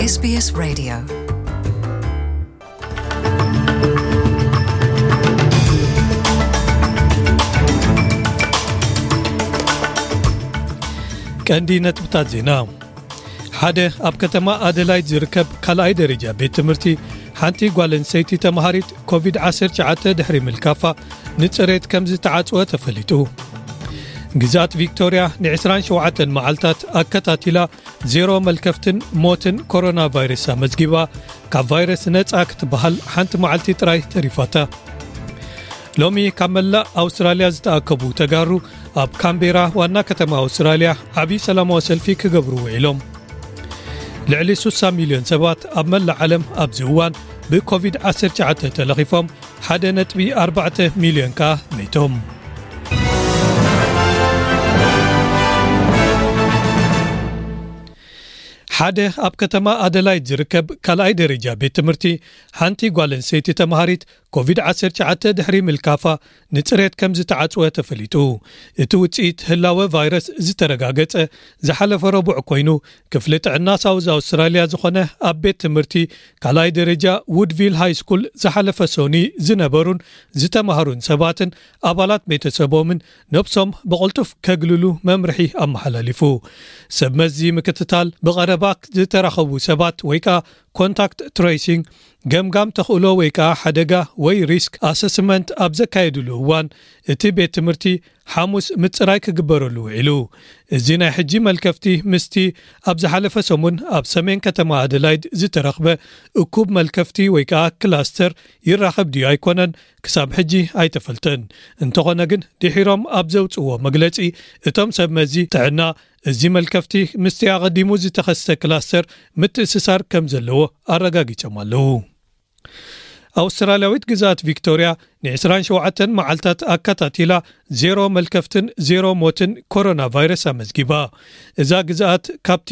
SBS Radio. ቀንዲ ነጥብታት ዜና። ሓደ ኣብ ከተማ ኣደላይድ ዝርከብ ካልኣይ ደረጃ ቤት ትምህርቲ ሓንቲ ጓል ኣንስተይቲ ተማሃሪት ኮቪድ ዓሰርተ ትሽዓተ ድሕሪ ምልካፋ ንጽሬት ከም ዝተዓጽወ ተፈሊጡ። ግዝኣት ቪክቶርያ ን ዕስራን ሸውዓተን መዓልታት ኣከታቲላ ዜሮ መልከፍትን ሞትን ኮሮና ቫይረስ ኣመዝጊባ፣ ካብ ቫይረስ ነጻ ክትበሃል ሓንቲ መዓልቲ ጥራይ ተሪፋታ። ሎሚ ካብ መላእ ኣውስትራልያ ዝተኣከቡ ተጋሩ ኣብ ካምቤራ ዋና ከተማ ኣውስትራልያ ዓቢ ሰላማዊ ሰልፊ ክገብሩ ውዒሎም። ልዕሊ ስሳ ሚልዮን ሰባት ኣብ መላእ ዓለም ኣብዚ እዋን ብኮቪድ ዓሰርተ ትሽዓተ ተለኺፎም ሓደ ነጥቢ ኣርባዕተ ሚልዮን ከኣ መይቶም። ሓደ ኣብ ከተማ ኣደላይድ ዝርከብ ካልኣይ ደረጃ ቤት ትምህርቲ ሓንቲ ጓል ኣንስተይቲ ተማሃሪት ኮቪድ ዓሰርተ ትሽዓተ ድሕሪ ምልካፋ ንጽሬት ከም ዝተዓጽወ ተፈሊጡ። እቲ ውጽኢት ህላወ ቫይረስ ዝተረጋገጸ ዝሓለፈ ረቡዕ ኮይኑ፣ ክፍሊ ጥዕና ሳውዝ ኣውስትራልያ ዝኾነ ኣብ ቤት ትምህርቲ ካልኣይ ደረጃ ውድቪል ሃይ ስኩል ዝሓለፈ ሶኒ ዝነበሩን ዝተማሃሩን ሰባትን ኣባላት ቤተሰቦምን ነብሶም ብቕልጡፍ ከግልሉ መምርሒ ኣመሓላሊፉ። ሰብ መዚ ምክትታል ብቐረባ ዝተራኸቡ ሰባት ወይ ከኣ ኮንታክት ትሬሲንግ፣ ገምጋም ተኽእሎ ወይ ከኣ ሓደጋ ወይ ሪስክ ኣሰስመንት ኣብ ዘካየድሉ እዋን፣ እቲ ቤት ትምህርቲ ሓሙስ ምጽራይ ክግበረሉ ውዒሉ። እዚ ናይ ሕጂ መልከፍቲ ምስቲ ኣብ ዝሓለፈ ሰሙን ኣብ ሰሜን ከተማ ኣደላይድ ዝተረኽበ እኩብ መልከፍቲ ወይ ከኣ ክላስተር ይራኸብ ድዩ ኣይኮነን ክሳብ ሕጂ ኣይተፈልጠን። እንተኾነ ግን ድሒሮም ኣብ ዘውጽእዎ መግለጺ፣ እቶም ሰብ መዚ ጥዕና እዚ መልከፍቲ ምስቲ ኣቐዲሙ ዝተኸስተ ክላስተር ምትእስሳር ከም ዘለዎ ኣረጋጊጾም ኣለዉ። ኣውስትራልያዊት ግዝኣት ቪክቶርያ ን ዕስራን ሸውዓተን መዓልታት ኣከታቲላ ዜሮ መልከፍትን ዜሮ ሞትን ኮሮና ቫይረስ ኣመዝጊባ። እዛ ግዝኣት ካብቲ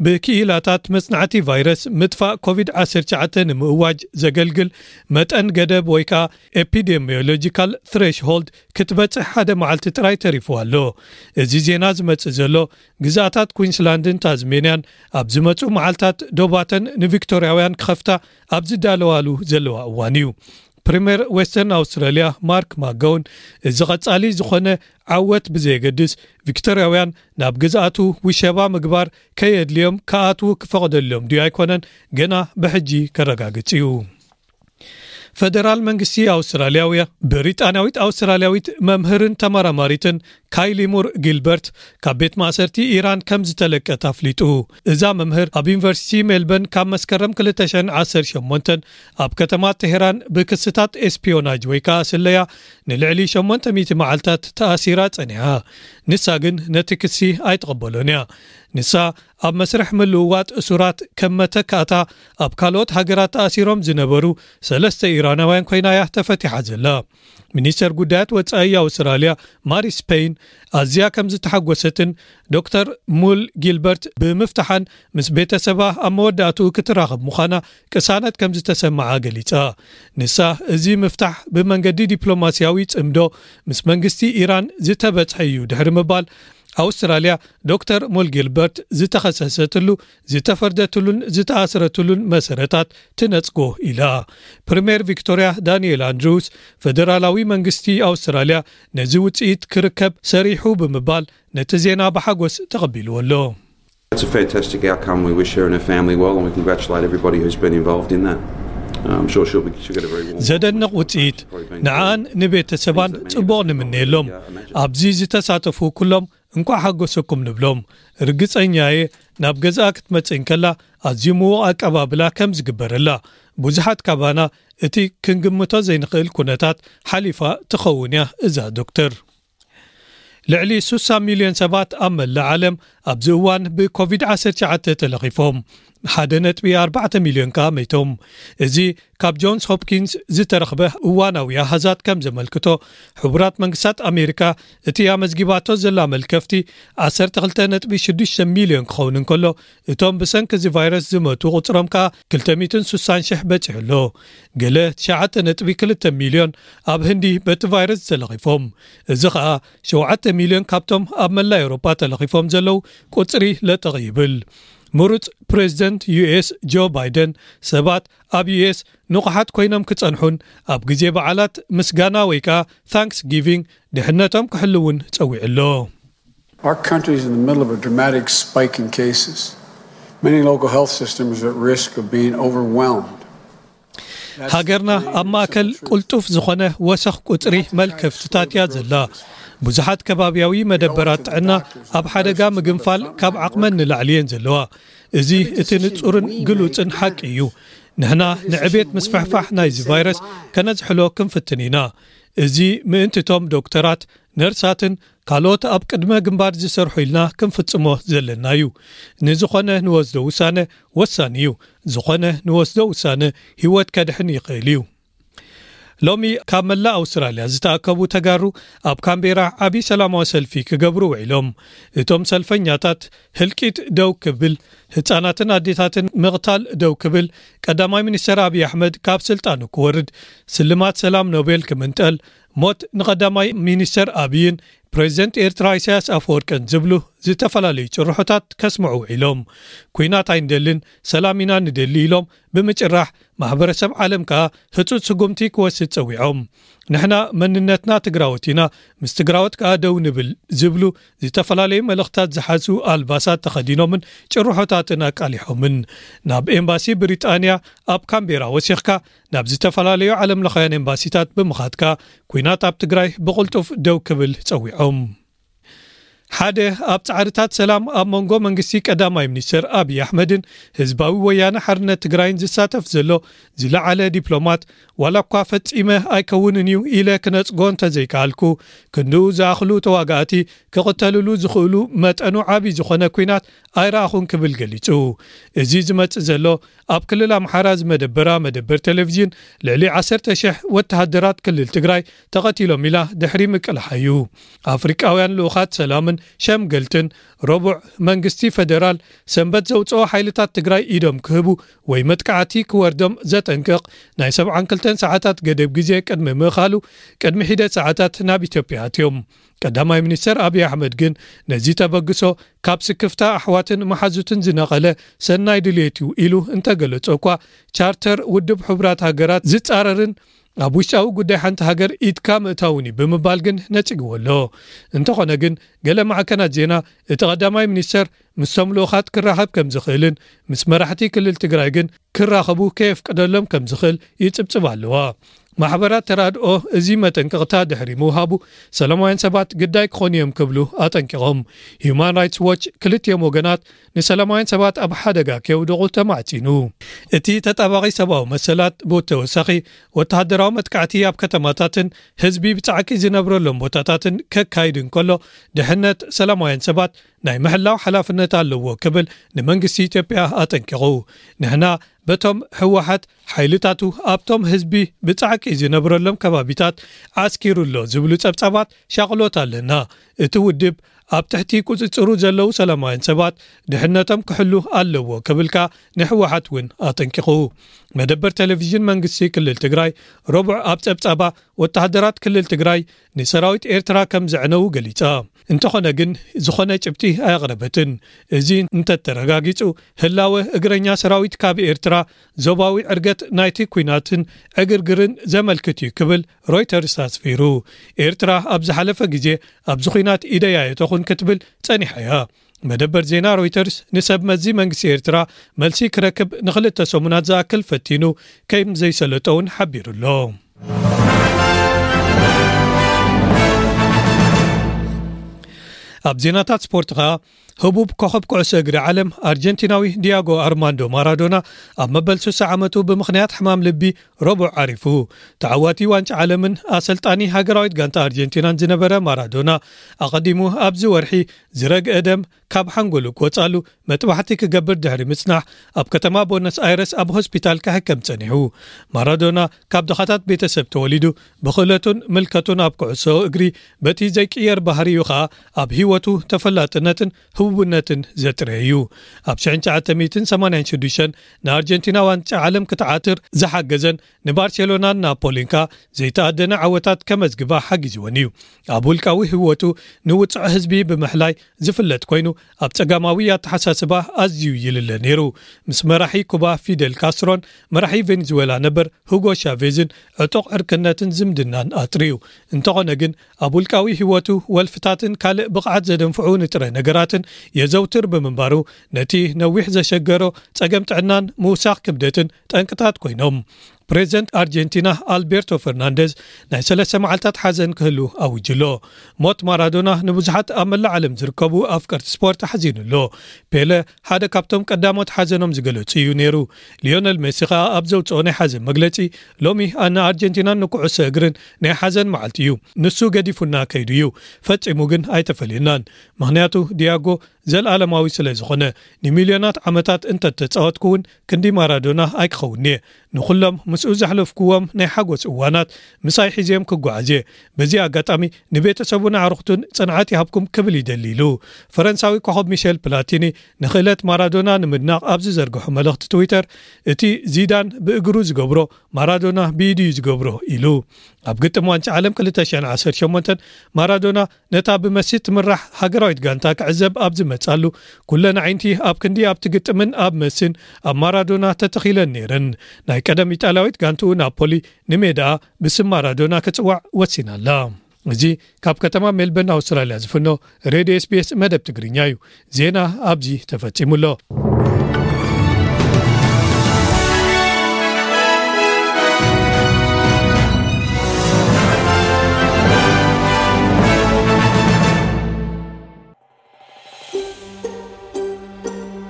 ብክኢላታት መጽናዕቲ ቫይረስ ምጥፋእ ኮቪድ ዓሰርተ ትሽዓተ ንምእዋጅ ዘገልግል መጠን ገደብ ወይ ከኣ ኤፒዴሚዮሎጂካል ትሬሽሆልድ ክትበጽሕ ሓደ መዓልቲ ጥራይ ተሪፉ ኣሎ። እዚ ዜና ዝመጽእ ዘሎ ግዝኣታት ኩዊንስላንድን ታዝሜንያን ኣብ ዝመጹ መዓልታት ዶባተን ንቪክቶርያውያን ክኸፍታ ኣብ ዝዳለዋሉ ዘለዋ እዋን እዩ። ፕሪምየር ዌስተርን ኣውስትራልያ ማርክ ማገውን፣ እዚ ቐጻሊ ዝኾነ ዓወት ብዘየገድስ፣ ቪክቶርያውያን ናብ ግዝኣቱ ውሸባ ምግባር ከየድልዮም ክኣትዉ ክፈቕደሎም ድዩ ኣይኮነን ገና ብሕጂ ከረጋግጽ እዩ። ፈደራል መንግስቲ ኣውስትራልያውያ ብሪጣንያዊት ኣውስትራልያዊት መምህርን ተመራማሪትን ካይሊ ሙር ጊልበርት ካብ ቤት ማእሰርቲ ኢራን ከም ዝተለቀት ኣፍሊጡ። እዛ መምህር ኣብ ዩኒቨርሲቲ ሜልበርን ካብ መስከረም ክልተ ሽሕን ዓሰርተ ሸሞንተን ኣብ ከተማ ቴሄራን ብክስታት ኤስፒዮናጅ ወይ ከኣ ስለያ ንልዕሊ ሸሞንተ ሚእቲ መዓልታት ተኣሲራ ጸኒሓ። ንሳ ግን ነቲ ክሲ ኣይትቕበሎን እያ። ንሳ ኣብ መስርሕ ምልውዋጥ እሱራት ከም መተካእታ ኣብ ካልኦት ሃገራት ተኣሲሮም ዝነበሩ ሰለስተ ኢራናውያን ኮይና እያ ተፈቲሓ ዘላ። ሚኒስተር ጉዳያት ወጻኢ ኣውስትራልያ ማሪስ ፔይን ኣዝያ ከም ዝተሓጎሰትን ዶክተር ሙል ጊልበርት ብምፍታሓን ምስ ቤተሰባ ኣብ መወዳእትኡ ክትራኸብ ምዃና ቅሳነት ከም ዝተሰምዓ ገሊጻ። ንሳ እዚ ምፍታሕ ብመንገዲ ዲፕሎማስያዊ ጽምዶ ምስ መንግስቲ ኢራን ዝተበጽሐ እዩ ድሕሪ ምባል፣ ኣውስትራልያ ዶክተር ሙል ጊልበርት ዝተኸሰሰትሉ፣ ዝተፈርደትሉን ዝተኣስረትሉን መሰረታት ትነጽጎ ኢላ። ፕሪምየር ቪክቶርያ ዳንኤል ኣንድሩስ፣ ፈደራላዊ መንግስቲ ኣውስትራልያ ነዚ ውጽኢት ክርከብ ሰሪሑ ብምባል ነቲ ዜና ብሓጎስ ተቐቢልዎ ኣሎ። It's a fantastic outcome. We wish her and her family well, and we congratulate everybody who's been involved in that. I'm sure she'll, be, she'll get a very warm ዘደንቕ ውጽኢት። ንዓን ንቤተሰባን ጽቡቕ ንምነየሎም። ኣብዚ ዝተሳተፉ ኩሎም እንኳዕ ሓጎሰኩም ንብሎም። ርግጸኛ እየ ናብ ገዛኣ ክትመጽእ እንከላ ኣዝዩ ምዉቕ ኣቀባብላ ከም ዝግበረላ። ብዙሓት ካባና እቲ ክንግምቶ ዘይንኽእል ኩነታት ሓሊፋ ትኸውን እያ እዛ ዶክተር። ልዕሊ ስሳ ሚልዮን ሰባት ኣብ መላእ ዓለም ኣብዚ እዋን ብኮቪድ ዓሰርተ ትሽዓተ ተለኺፎም፣ ሓደ ነጥቢ ኣርባዕተ ሚልዮን ከኣ መይቶም። እዚ ካብ ጆንስ ሆፕኪንስ ዝተረኽበ እዋናዊ ኣሃዛት ከም ዘመልክቶ፣ ሕቡራት መንግስታት ኣሜሪካ እቲ ኣመዝጊባቶ ዘላ መልከፍቲ ዓሰርተ ክልተ ነጥቢ ሽዱሽተ ሚልዮን ክኸውን እንከሎ፣ እቶም ብሰንኪ እዚ ቫይረስ ዝመቱ ቁጽሮም ከኣ ክልተ ሚእትን ስሳን ሽሕ በጺሑ ኣሎ። ገለ ትሽዓተ ነጥቢ ክልተ ሚልዮን ኣብ ህንዲ በቲ ቫይረስ ተለኺፎም። እዚ ከኣ ሸውዓተ ሚልዮን ካብቶም ኣብ መላእ ኤውሮጳ ተለኺፎም ዘለዉ ቁጽሪ ለጠቕ ይብል። ምሩጽ ፕሬዚደንት ዩ ኤስ ጆ ባይደን ሰባት ኣብ ዩ ኤስ ንቑሓት ኮይኖም ክጸንሑን ኣብ ግዜ በዓላት ምስጋና ወይ ከኣ ታንክስ ጊቪንግ ድሕነቶም ክሕልውን ጸዊዑ ኣሎ። Our country is in the middle of a dramatic spike in cases. Many local health systems are at risk of being overwhelmed. ሃገርና ኣብ ማእከል ቁልጡፍ ዝኾነ ወሰኽ ቁጽሪ መልከፍትታት እያ ዘላ። ብዙሓት ከባብያዊ መደበራት ጥዕና ኣብ ሓደጋ ምግንፋል ካብ ዓቕመን ንላዕሊ እየን ዘለዋ። እዚ እቲ ንጹርን ግሉጽን ሓቂ እዩ። ንሕና ንዕቤት ምስፍሕፋሕ ናይዚ ቫይረስ ከነዝሕሎ ክንፍትን ኢና። እዚ ምእንቲቶም ዶክተራት፣ ነርሳትን ካልኦት ኣብ ቅድመ ግንባር ዝሰርሑ ኢልና ክንፍጽሞ ዘለና እዩ። ንዝኾነ ንወስዶ ውሳነ ወሳኒ እዩ። ዝኾነ ንወስዶ ውሳነ ህይወት ከድሕን ይኽእል እዩ። ሎሚ ካብ መላእ ኣውስትራልያ ዝተኣከቡ ተጋሩ ኣብ ካምቤራ ዓቢ ሰላማዊ ሰልፊ ክገብሩ ውዒሎም። እቶም ሰልፈኛታት ህልቂት ደው ክብል፣ ህጻናትን ኣዴታትን ምቕታል ደው ክብል፣ ቀዳማይ ሚኒስተር ኣብይ ኣሕመድ ካብ ስልጣኑ ክወርድ፣ ስልማት ሰላም ኖቤል ክምንጠል፣ ሞት ንቐዳማይ ሚኒስተር ኣብይን ፕሬዚደንት ኤርትራ ኢሳያስ ኣፈወርቅን ዝብሉ ዝተፈላለዩ ጭርሖታት ከስምዑ ውዒሎም። ኲናት ኣይንደልን፣ ሰላም ኢና ንደሊ ኢሎም ብምጭራሕ፣ ማሕበረሰብ ዓለም ከኣ ህጹጽ ስጉምቲ ክወስድ ጸዊዖም። ንሕና መንነትና ትግራዎት ኢና፣ ምስ ትግራዎት ከኣ ደው ንብል ዝብሉ ዝተፈላለዩ መልእኽታት ዝሓዙ ኣልባሳት ተኸዲኖምን ጭርሖታትን ኣቃሊሖምን። ናብ ኤምባሲ ብሪጣንያ ኣብ ካምቤራ ወሲኽካ ናብ ዝተፈላለዩ ዓለምለኻውያን ኤምባሲታት ብምኻድካ ኲናት ኣብ ትግራይ ብቕልጡፍ ደው ክብል ጸዊዖም። ሓደ ኣብ ጻዕርታት ሰላም ኣብ መንጎ መንግስቲ ቀዳማይ ሚኒስተር ኣብይ ኣሕመድን ህዝባዊ ወያነ ሓርነት ትግራይን ዝሳተፍ ዘሎ ዝለዓለ ዲፕሎማት፣ ዋላ እኳ ፈጺመ ኣይከውንን እዩ ኢለ ክነጽጎ እንተዘይከኣልኩ፣ ክንድኡ ዝኣኽሉ ተዋጋእቲ ክቕተልሉ ዝኽእሉ መጠኑ ዓቢ ዝኾነ ኲናት ኣይረኣኹን ክብል ገሊጹ። እዚ ዝመጽእ ዘሎ ኣብ ክልል ኣምሓራ ዝመደበራ መደበር ቴሌቪዥን ልዕሊ ዓሰርተ ሽሕ ወተሃደራት ክልል ትግራይ ተቐቲሎም ኢላ ድሕሪ ምቅልሓ እዩ። ኣፍሪቃውያን ልኡኻት ሰላምን ሸምገልትን ረቡዕ መንግስቲ ፈደራል ሰንበት ዘውፅኦ ሓይልታት ትግራይ ኢዶም ክህቡ ወይ መጥቃዕቲ ክወርዶም ዘጠንቅቕ ናይ ሰብዓን ክልተን ሰዓታት ገደብ ግዜ ቅድሚ ምእኻሉ ቅድሚ ሒደት ሰዓታት ናብ ኢትዮጵያ ኣትዮም። ቀዳማይ ሚኒስተር ኣብይ ኣሕመድ ግን ነዚ ተበግሶ ካብ ስክፍታ ኣሕዋትን መሓዙትን ዝነቐለ ሰናይ ድልየት እዩ ኢሉ እንተገለጾ እኳ ቻርተር ውድብ ሕቡራት ሃገራት ዝጻረርን ኣብ ውሽጣዊ ጉዳይ ሓንቲ ሃገር ኢድካ ምእታውን እዩ ብምባል ግን ነጺግዎ ኣሎ። እንተኾነ ግን ገለ ማዕከናት ዜና እቲ ቀዳማይ ሚኒስተር ምስቶም ልኡኻት ክራኸብ ከም ዝኽእልን ምስ መራሕቲ ክልል ትግራይ ግን ክራኸቡ ከየፍቅደሎም ከም ዝኽእል ይጽብጽብ ኣለዋ። ማሕበራት ተራድኦ እዚ መጠንቀቕታ ድሕሪ ምውሃቡ ሰላማውያን ሰባት ግዳይ ክኾኑ እዮም ክብሉ ኣጠንቂቖም። ሂዩማን ራይትስ ዎች ክልቲኦም ወገናት ንሰላማውያን ሰባት ኣብ ሓደጋ ከየውድቑ ተማዕጺኑ። እቲ ተጣባቒ ሰብኣዊ መሰላት ብተወሳኺ ወተሃደራዊ መጥቃዕቲ ኣብ ከተማታትን ህዝቢ ብጻዕቂ ዝነብረሎም ቦታታትን ከካይድ እንከሎ ድሕነት ሰላማውያን ሰባት ናይ ምሕላው ሓላፍነት ኣለዎ ክብል ንመንግስቲ ኢትዮጵያ ኣጠንቂቑ። ንሕና በቶም ህወሓት ሓይልታቱ ኣብቶም ህዝቢ ብጻዕቂ ዝነብረሎም ከባቢታት ዓስኪሩ ኣሎ ዝብሉ ጸብጻባት ሻቕሎት ኣለና። እቲ ውድብ ኣብ ትሕቲ ቁጽጽሩ ዘለዉ ሰላማውያን ሰባት ድሕነቶም ክሕሉ ኣለዎ ክብልካ ንህወሓት እውን ኣጠንቂቑ። መደበር ቴሌቪዥን መንግስቲ ክልል ትግራይ ረቡዕ ኣብ ጸብጻባ ወተሃደራት ክልል ትግራይ ንሰራዊት ኤርትራ ከም ዘዕነዉ ገሊጻ። እንተኾነ ግን ዝኾነ ጭብጢ ኣየቕረበትን። እዚ እንተተረጋጊጹ ህላወ እግረኛ ሰራዊት ካብ ኤርትራ ዞባዊ ዕርገት ናይቲ ኲናትን ዕግርግርን ዘመልክት እዩ ክብል ሮይተርስ ኣስፊሩ። ኤርትራ ኣብ ዝሓለፈ ግዜ ኣብዚ ኲናት ኢደይ ኣየተኹን ክትብል ጸኒሓ እያ። መደበር ዜና ሮይተርስ ንሰብ መዚ መንግስቲ ኤርትራ መልሲ ክረክብ ንኽልተ ሰሙናት ዝኣክል ፈቲኑ ከም ዘይሰለጦ እውን ሓቢሩ ኣሎ። ኣብ ዜናታት ስፖርት ኸኣ ህቡብ ኮኸብ ኩዕሶ እግሪ ዓለም ኣርጀንቲናዊ ዲያጎ ኣርማንዶ ማራዶና ኣብ መበል ስሳ ዓመቱ ብምኽንያት ሕማም ልቢ ረቡዕ ዓሪፉ። ተዓዋቲ ዋንጫ ዓለምን ኣሰልጣኒ ሃገራዊት ጋንታ ኣርጀንቲናን ዝነበረ ማራዶና ኣቐዲሙ ኣብዚ ወርሒ ዝረግአ ደም ካብ ሓንጎሉ ክወጻሉ መጥባሕቲ ክገብር ድሕሪ ምጽናሕ ኣብ ከተማ ቦነስ ኣይረስ ኣብ ሆስፒታል ክሕከም ጸኒሑ። ማራዶና ካብ ድኻታት ቤተሰብ ተወሊዱ ብኽእለቱን ምልከቱን ኣብ ኩዕሶ እግሪ በቲ ዘይቅየር ባህሪኡ ኸኣ ኣብ ህይወቱ ተፈላጥነትን ህቡብነትን ዘጥረየ እዩ። ኣብ ሽሕን ትሽዓተ ሚእትን ሰማንያን ሽዱሽተን ንኣርጀንቲና ዋንጫ ዓለም ክትዓትር ዝሓገዘን ንባርሴሎናን ናፖሊን ከኣ ዘይተኣደነ ዓወታት ከመዝግባ ሓጊዝወን እዩ። ኣብ ውልቃዊ ህይወቱ ንውጽዕ ህዝቢ ብምሕላይ ዝፍለጥ ኮይኑ፣ ኣብ ጸጋማዊ ኣተሓሳስባ ኣዝዩ ይልለ ነይሩ። ምስ መራሒ ኩባ ፊደል ካስትሮን መራሒ ቬኔዙዌላ ነበር ሁጎ ሻቬዝን ዕጡቕ ዕርክነትን ዝምድናን ኣጥርዩ። እንተኾነ ግን፣ ኣብ ውልቃዊ ህይወቱ ወልፍታትን ካልእ ብቕዓት ዘደንፍዑ ንጥረ ነገራትን የዘውትር ብምንባሩ፣ ነቲ ነዊሕ ዘሸገሮ ጸገም ጥዕናን ምውሳኽ ክብደትን ጠንቅታት ኮይኖም። ፕሬዚደንት ኣርጀንቲና ኣልቤርቶ ፈርናንደዝ ናይ ሰለስተ መዓልታት ሓዘን ክህሉ ኣውጅ ኣሎ። ሞት ማራዶና ንብዙሓት ኣብ መላእ ዓለም ዝርከቡ ኣፍቀርቲ ስፖርት ኣሕዚኑ ኣሎ። ፔለ ሓደ ካብቶም ቀዳሞት ሓዘኖም ዝገለጹ እዩ ነይሩ። ሊዮነል ሜሲ ከኣ ኣብ ዘውጽኦ ናይ ሓዘን መግለጺ፣ ሎሚ ንኣርጀንቲናን ንኩዕሶ እግርን ናይ ሓዘን መዓልቲ እዩ። ንሱ ገዲፉና ከይዱ እዩ። ፈጺሙ ግን ኣይተፈልየናን። ምኽንያቱ ዲያጎ ዘልኣለማዊ ስለ ዝኾነ፣ ንሚልዮናት ዓመታት እንተተጻወትኩ እውን ክንዲ ማራዶና ኣይክኸውን እየ። ንኹሎም ምስኡ ዘሕለፍኩዎም ናይ ሓጎስ እዋናት ምሳይ ሒዝዮም ክጓዓዝ እየ። በዚ ኣጋጣሚ ንቤተሰቡን ኣዕሩኽቱን ጽንዓት ይሃብኩም ክብል ይደሊ ኢሉ። ፈረንሳዊ ኮኸብ ሚሸል ፕላቲኒ ንኽእለት ማራዶና ንምድናቕ ኣብ ዝዘርግሖ መልእኽቲ ትዊተር፣ እቲ ዚዳን ብእግሩ ዝገብሮ ማራዶና ብኢዱ እዩ ዝገብሮ ኢሉ። ኣብ ግጥም ዋንጫ ዓለም ክልተ ሽሕን ዓሰርተ ሸሞንተን ማራዶና ነታ ብመሲ ትምራሕ ሃገራዊት ጋንታ ክዕዘብ ኣብ ዝመጻሉ፣ ኩለን ኣዒንቲ ኣብ ክንዲ ኣብቲ ግጥምን ኣብ መሲን ኣብ ማራዶና ተተኺለን ነይረን። ናይ ቀደም ኢጣልያዊት ጋንትኡ ናፖሊ ንሜዳኣ ብስም ማራዶና ክጽዋዕ ወሲና ኣላ። እዚ ካብ ከተማ ሜልበርን ኣውስትራልያ ዝፍኖ ሬድዮ ኤስቢኤስ መደብ ትግርኛ እዩ። ዜና ኣብዚ ተፈጺሙ ኣሎ።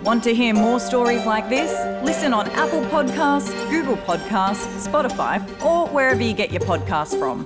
Want to hear more stories like this? Listen on Apple Podcasts, Google Podcasts, Spotify, or wherever you get your podcasts from.